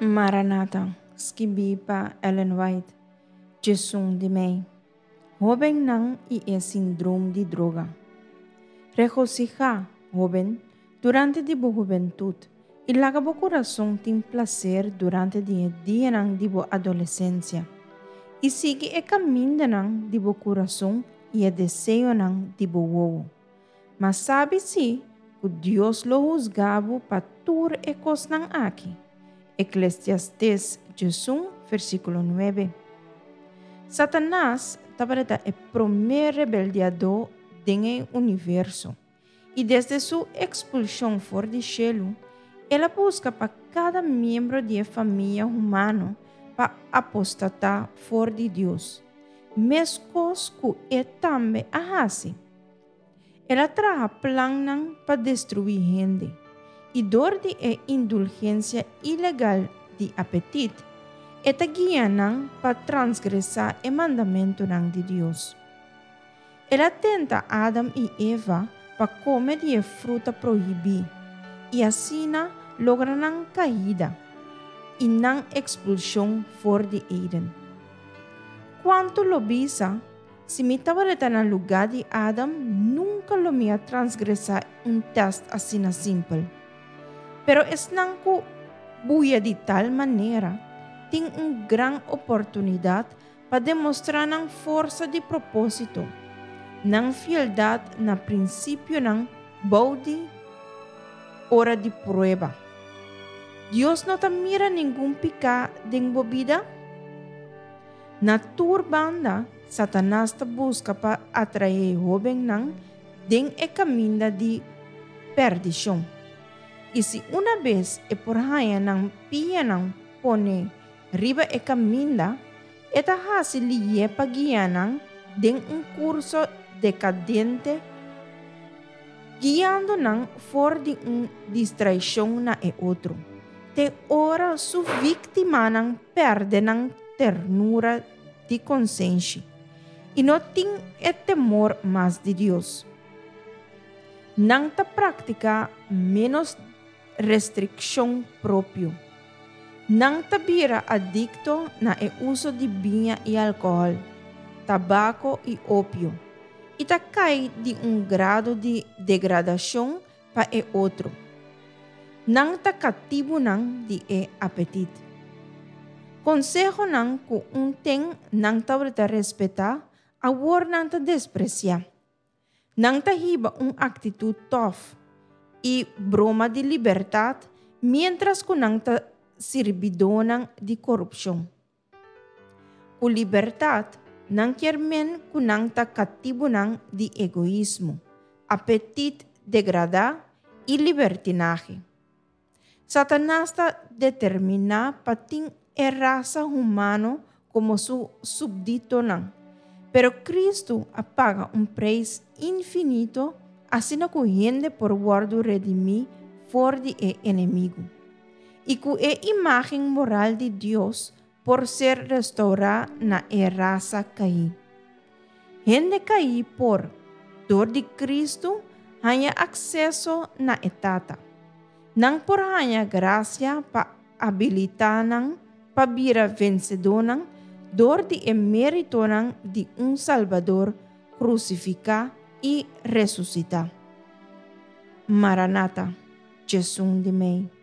Maranata, skibí pa Ellen White, 11 di mei. Hóbennan i e sindrom di droga. Regosihá, hóben, durante di bo hubentut, i laga bo kurason tin plaser durante di e dianan di bo adolesensia, i sigui e kamindanan di bo kurason i e deseonan di bo wowo. Ma sabi sí ku Dios lo husga bo pa tur e kosnan aki. Eklesiastes 11, versíkulo 9. Satanas tabata e promé rebeldiadó den e universo, i desde su ekspulshon for di shelu, el a buska pa kada miembro di e famia humano pa apostatá for di Dios, meskos ku e tambe a hasi. El a traha plannan pa destruí hende, i dor di e indulgensia ilegal di apetit, e ta guia nan pa transgresá e mandamentunan di Dios. El a tenta Adam i Eva pa kome di e fruta prohibí i asina logra nan kaida i nan ekspulshon for di Eden. Kuantu lo bisa Si mi tabata na lugá di Adam, nunka lo mi a transgresá un tèst asina simpel. Pero esnan ku buya di tal manera tin un gran oportunidat pa demostrá nan forsa di propósito, nan fieldat na prinsipionan bou di ora di prueba. Dios no ta mira ningun piká den bo bida? Na tur banda, Satanas ta buska pa atraé hóbennan den e kaminda di pèrdishon. I si unabes e por haña nan pianan pone riba e kaminda, e ta hasi lié pa guia nan den un kurso dekadente, guiando nan for di un distraishon na e otro, te ora su víktimanan pèrdè nan ternura di konsenshi i no tin e temor mas di Dios. Nan ta praktiká ménos restrikshon propio. Nan ta bira adikto na e uso di biña i alkohòl, tabako i opio, i ta kai di un grado di degradashon pa e otro. Nan ta katibunan di e apetit. Konsehonan ku un ten nan tabata respetá, awor nan ta despresiá. Nan ta hiba un aktitut tòf i broma di libertat miéntras ku nan ta sirbidónan di korupshon. Ku libertat, nan kier men ku nan ta katibunan di egoismo, apetit degradá i libertinahe. Satanas ta determiná pa tin e rasa humano komo su supditonan, pero Kristu a paga un preis infinito asina ku hende por wòrdu redimí for di e enemigu, i ku e imágen moral di Dios por ser restourá na e rasa kaí. Hende kaí por, dor di Kristu, haña akseso na e Tata. Nan por haña grasia pa abilitá nan pa bira vensedónan dor di e méritonan di un Salbador krusifiká i resusitá. Maranata, 11 di mei.